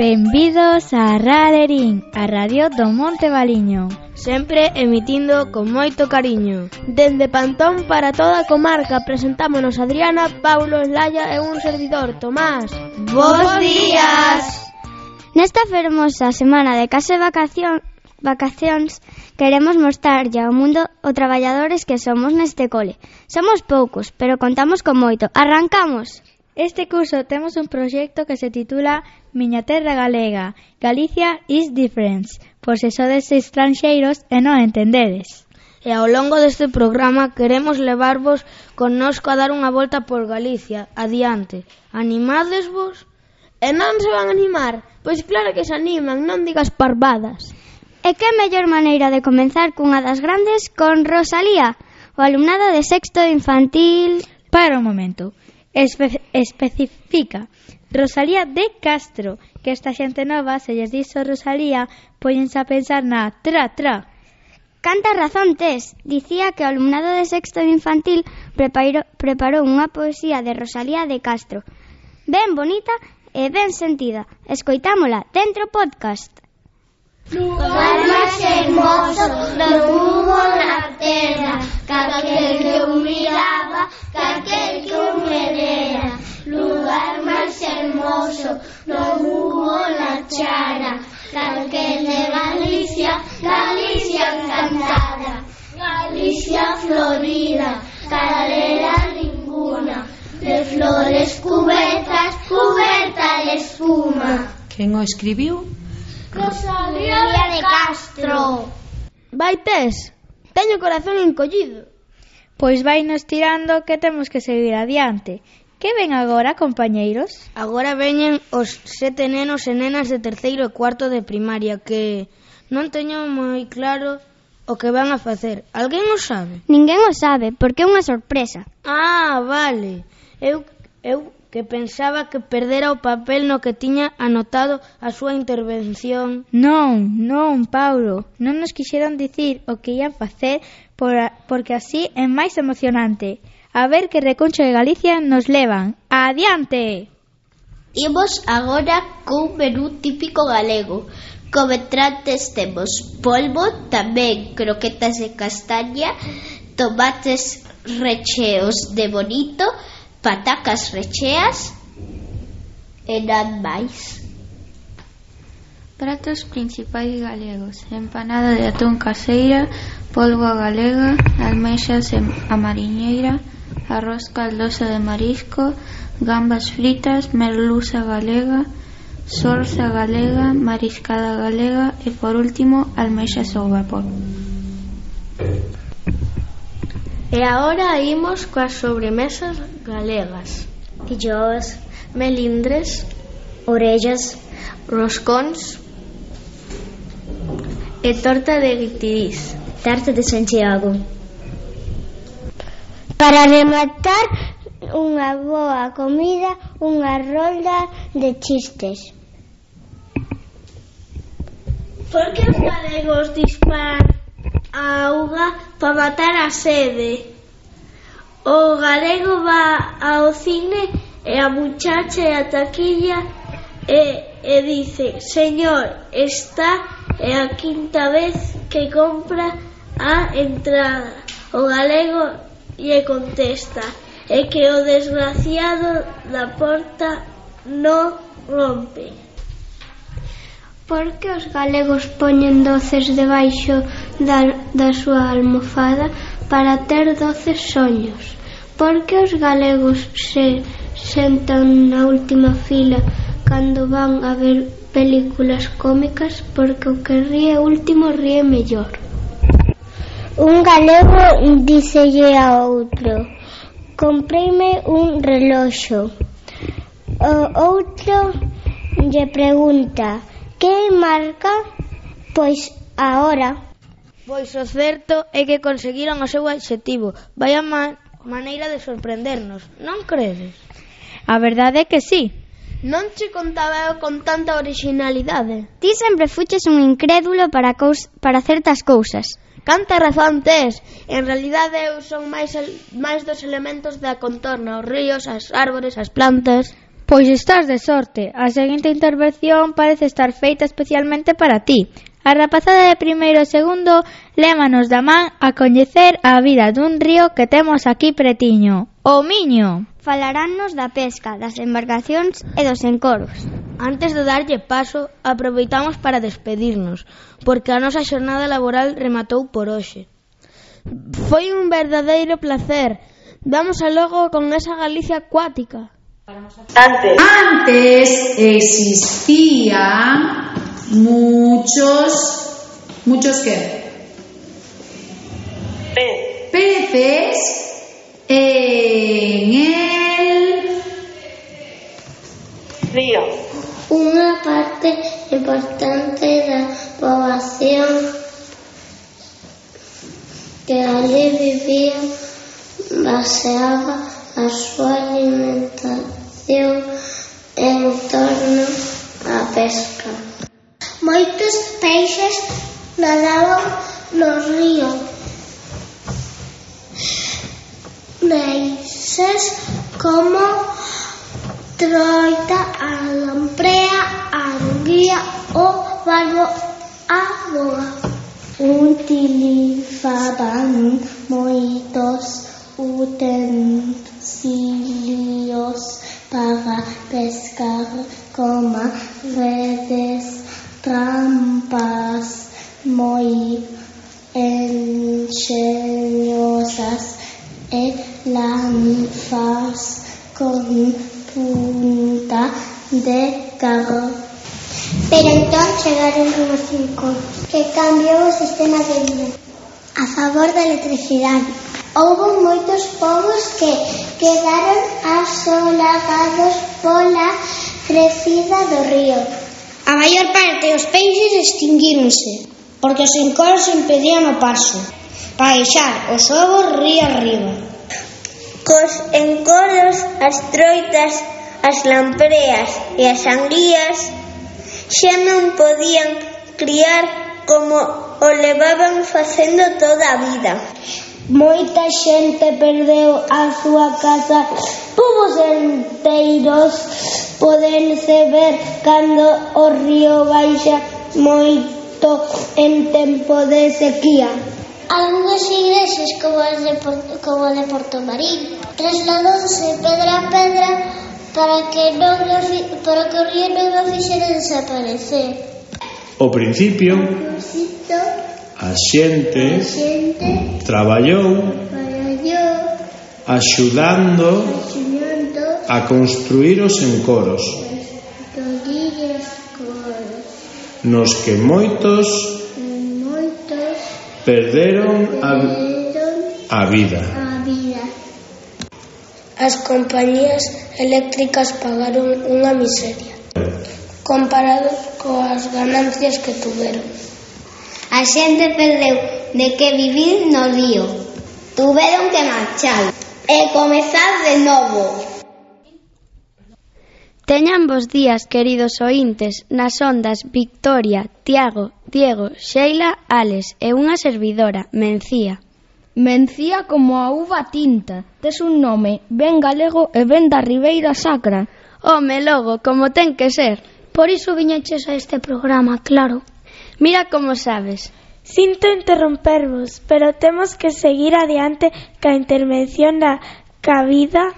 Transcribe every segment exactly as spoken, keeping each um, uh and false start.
Benvidos a Ralerín, a radio do Monte Valiño. Sempre emitindo con moito cariño. Dende Pantón para toda a comarca presentámonos Adriana, Paulo, Laia e un servidor, Tomás. Bos días! Nesta fermosa semana de case vacación, vacacións queremos mostrarlle ao mundo o traballadores que somos neste cole. Somos poucos, pero contamos con moito. Arrancamos! Este curso temos un proxecto que se titula Miña Terra Galega, Galicia is Different, por se sodes estranxeiros e non entendedes. E ao longo deste programa queremos levarvos connosco a dar unha volta por Galicia. Adiante, animadesvos? E non se van a animar? Pois claro que se animan, non digas parvadas. E que mellor maneira de comenzar cunha das grandes con Rosalía, o alumnado de sexto de infantil... Para un momento, Espe- especifica Rosalía de Castro, que esta xente nova, se lles dixo Rosalía, póñense a pensar na tra tra. Canta razón tes, dicía que o alumnado de sexto de infantil preparou, preparou unha poesía de Rosalía de Castro, ben bonita e ben sentida. Escoitámola dentro podcast. Lugar máis hermoso do mundo na terra, caquel que eu miraba, caquel que eu me dera. Lugar máis hermoso do mundo na chara, caquel de Galicia, Galicia encantada, Galicia florida, calera ninguna, de flores cubertas, cuberta de espuma. Quen o escribiu? Rosalía de Castro. Vai tes, teño o corazón encollido. Pois vai nos tirando que temos que seguir adiante. Que ven agora, compañeiros? Agora veñen os sete nenos e nenas de terceiro e cuarto de primaria que non teño moi claro o que van a facer. Alguén o sabe? Ninguén o sabe, porque é unha sorpresa. Ah, vale. Eu, eu que pensaba que perdera o papel no que tiña anotado a súa intervención. Non, non, Paulo, non nos quixeron dicir o que ian facer por a, porque así é máis emocionante. A ver que recuncho de Galicia nos levan. Adiante! Imos agora cun menú típico galego. Como entrantes temos polvo, tamén croquetas de castaña, tomates recheos de bonito, patacas recheas e nada máis. Pratos principais galegos: empanada de atún caseira, polvo a galega, almexas a mariñeira, arroz caldoso de marisco, gambas fritas, merluza galega, sorza galega, mariscada galega e, por último, almexas ao vapor. E agora imos coas sobremesas galegas. Filloas, melindres, orellas, roscóns e torta de guitirís. tarta de Santiago. Para rematar, unha boa comida, unha rolda de chistes. Por que os galegos disparan a auga para matar a sede? O galego va ao cine e a muchacha e a taquilla e, e dice: señor, esta é a quinta vez que compra a entrada. O galego lle contesta: é que o desgraciado da porta non rompe. Por que os galegos poñen doces debaixo da, da súa almofada para ter doces soños? Por que os galegos se sentan na última fila cando van a ver películas cómicas? Porque o que ríe último ríe mellor. Un galego dícelle a outro: compreime un reloxo. O outro lle pregunta: que marca? Pois ahora. Pois o certo é que conseguiron o seu obxectivo. Vaya ma- maneira de sorprendernos, non credes? A verdade é que sí. Non che contaba eu con tanta originalidade. Ti sempre fuches un incrédulo para, cous- para certas cousas. Canta razón tes. En realidade eu son máis, el, máis dos elementos da contorna, os ríos, as árbores, as plantas. Pois estás de sorte. A seguinte intervención parece estar feita especialmente para ti. A rapazada de primeiro e segundo lévanos da man a coñecer a vida dun río que temos aquí pretiño, o Miño. Falarannos da pesca, das embarcacións e dos encoros. Antes de darlle paso, aproveitamos para despedirnos, porque a nosa xornada laboral rematou por hoxe. Foi un verdadeiro placer. Vamos a logo con esa Galicia acuática. Antes. Antes existían muchos, ¿muchos qué? Pe. Peces en el río. Unha parte importante da poboación que ali vivía baseaba a súa alimentación en torno á pesca. Moitos peixes nadaban no río. Peixes como troita, a lamprea, a anguía, o barbo, a boga. Utilizaban moitos utensilios para pescar, como redes, trampas moi enxeñosas e lanzas con punta de carro. Pero entón chegaron unhos cinco que cambiou o sistema de vida a favor da electricidade. Houbo moitos povos que quedaron asolagados pola crecida do río. A maior parte dos peixes extinguíronse porque os encoros impedían o paso para deixar os ovos río arriba. Cos encoros, as troitas, as lampreas e as anguías xa non podían criar como o levaban facendo toda a vida. Moita xente perdeu a súa casa, povos enteiros podense ver cando o río baixa moito en tempo de sequía. Algúns igrexes como as de, como de Porto Marín trasladouse pedra a pedra para que non para que o río non o fixera desaparecer. Ao principio, a xente, a xente traballou, traballou axudando, axudando a construir os encoros, nos que moitos, moitos perderon a, a vida. A vida. As compañías eléctricas pagaron unha miseria comparado coas ganancias que tuveron. A xente perdeu de que vivir no río. Tuveron que marchar e comezar de novo. Teñan bos días, queridos oíntes, nas ondas Victoria, Tiago, Diego, Sheila, Alex e unha servidora, Mencía. Mencía como a uva tinta. Tes un nome ben galego e ben da Ribeira Sacra. Home, logo, como ten que ser. Por iso viñeches a este programa, claro. Mira como sabes. Sinto interrompervos, pero temos que seguir adiante ca intervención da cabida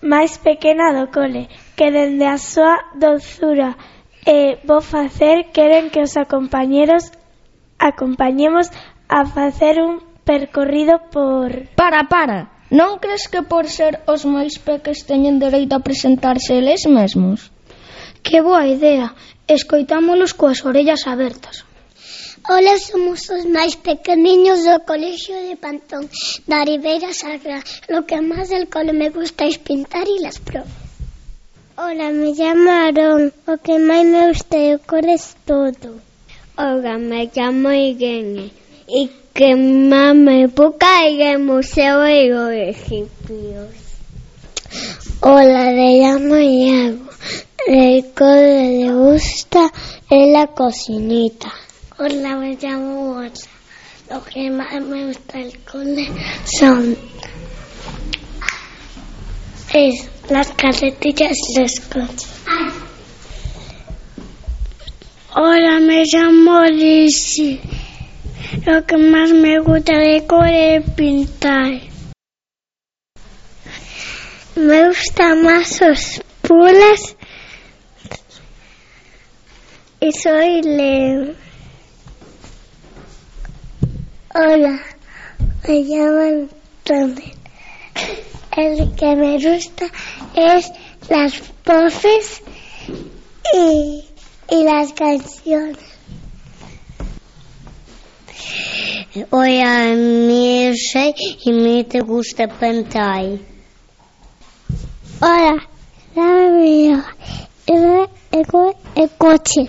máis pequena do cole, que dende a súa dozura e bo facer queren que os compañeros acompañemos a facer un percorrido por... Para, para! Non crees que por ser os máis peques teñen dereito a presentarse eles mesmos? Que boa idea! Escoitámolos coas orellas abertas. Ola, somos os máis pequeniños do colexio de Pantón, da Ribeira Sacra. Lo que máis del cole me gusta es pintar y las pruebas. Ola, me llamo Aarón. O que máis me gusta é o cole es todo. Ola, me llamo Irene. E que máis me puca é o museo e os egipcios. Ola, me llamo Iago. El cole le gusta es la cocinita. Hola, me llamo Borja. Lo que más me gusta del cole son Es las carretillas los coches. Hola, me llamo Lizzy. Lo que más me gusta de cole es pintar. Me gustan más los puzzles y soy Leo. Hola, me llamo Antonio. El que me gusta es las voces y, y las canciones. Hola, me soy y me te gusta pintar. Hola, me llamo el coche.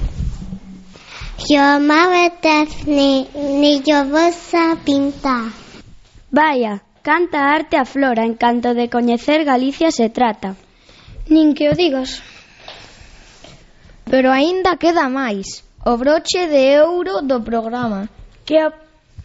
Yo me apetece ni, ni yo voy a pintar. Vaya, canta arte a flora, en canto de coñecer Galicia se trata. Nin que o digas. Pero aínda queda máis, o broche de ouro do programa. Que,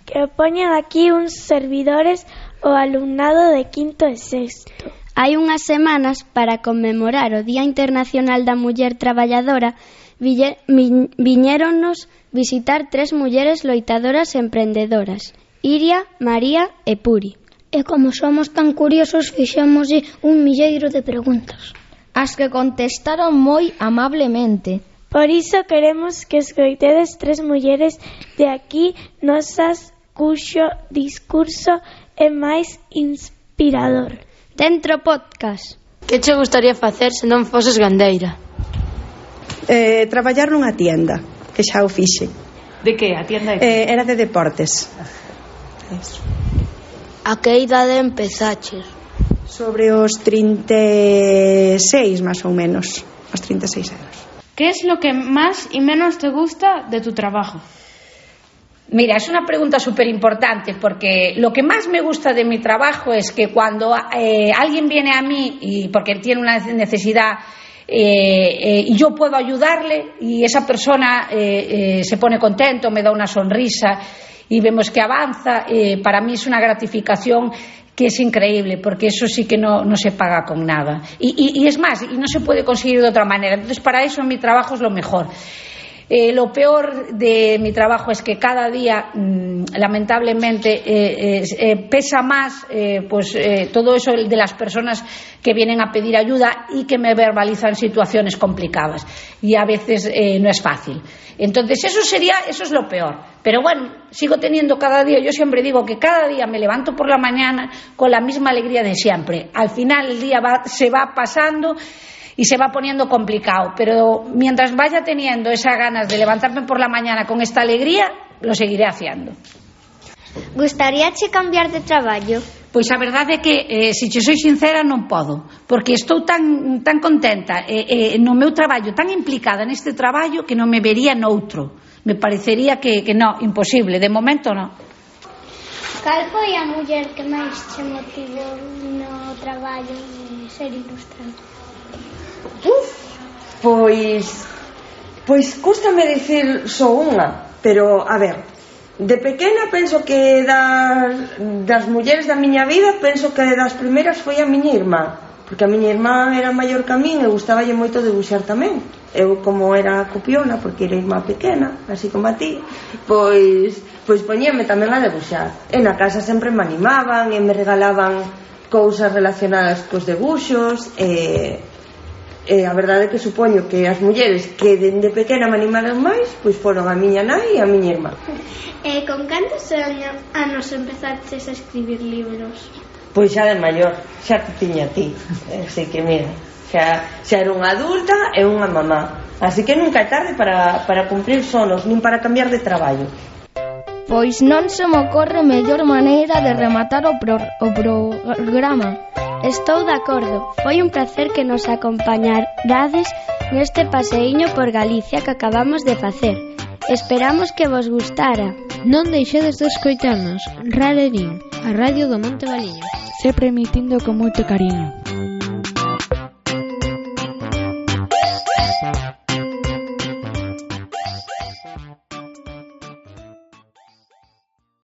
que poñan aquí uns servidores o alumnado de quinto e sexto. Hai unhas semanas, para conmemorar o Día Internacional da Muller Traballadora, vi, viñéronnos visitar tres mulleres loitadoras e emprendedoras, Iria, María e Puri. E como somos tan curiosos, fixémoslle un milleiro de preguntas, as que contestaron moi amablemente. Por iso queremos que escoitedes tres mulleres de aquí nosas cuxo discurso é máis inspirador. Dentro podcast. Que che gustaría facer se non foses gandeira? Eh, traballar nunha tienda, que xa o fixe. De que? A tienda de que? Eh, era de deportes. Eso. A que idade empezaches? Sobre os trinta e seis, máis ou menos. Os trinta e seis anos. ¿Qué es lo que más y menos te gusta de tu trabajo? Mira, es una pregunta súper importante porque lo que más me gusta de mi trabajo es que cuando eh, alguien viene a mí y porque tiene una necesidad eh, eh, y yo puedo ayudarle y esa persona eh, eh, se pone contento, me da una sonrisa y vemos que avanza, eh, para mí es una gratificación que es increíble, porque eso sí que no, no se paga con nada y, y, y es más, y no se puede conseguir de otra manera. Entonces para eso mi trabajo es lo mejor. Eh, lo peor de mi trabajo es que cada día mmm, lamentablemente eh, eh, eh, pesa más eh, pues eh, todo eso de las personas que vienen a pedir ayuda y que me verbalizan situaciones complicadas y a veces eh, no es fácil. Entonces eso sería, eso es lo peor. Pero bueno, sigo teniendo cada día, yo siempre digo que cada día me levanto por la mañana con la misma alegría de siempre. Al final el día va, se va pasando y se va poniendo complicado, pero mientras vaya teniendo esas ganas de levantarme por la mañana con esta alegría, lo seguiré haciendo. Gustaríache cambiar de traballo? Pois a verdade é que, eh, se che soy sincera, non podo, porque estou tan, tan contenta eh, eh, no meu traballo, tan implicada neste traballo, que non me vería noutro. Me parecería que, que no, imposible, de momento non. Cal foi a muller que máis che motivou no traballo de ser ilustrante? Uf, pois pois cústame dicir só unha, pero a ver, de pequena penso que das, das mulleres da miña vida, penso que das primeiras foi a miña irmá, porque a miña irmá era maior que a min e gustaballe moito debuxar tamén. Eu, como era copiona, porque era irmá pequena, así como a ti, pois pois poñíame tamén a debuxar. E na casa sempre me animaban e me regalaban cousas relacionadas cos debuxos e E a verdade é que supoño que as mulleres que dende pequena me animaron máis, pois foron a miña nai e a miña irmá. E con cantos anos empezaches a escribir libros? Pois xa de maior, xa te tiña a ti. Así que mira, xa, xa era unha adulta e unha mamá. Así que nunca é tarde para, para cumprir sonos, nin para cambiar de traballo. Pois non se me ocorre mellor maneira de rematar o, pro, o programa. Estou de acordo. Foi un placer que nos acompañarades neste paseíño por Galicia que acabamos de facer. Esperamos que vos gustara. Non deixedes de escoitarnos. Ralerín, a radio do Monte Valiño. Sempre emitindo con moito cariño.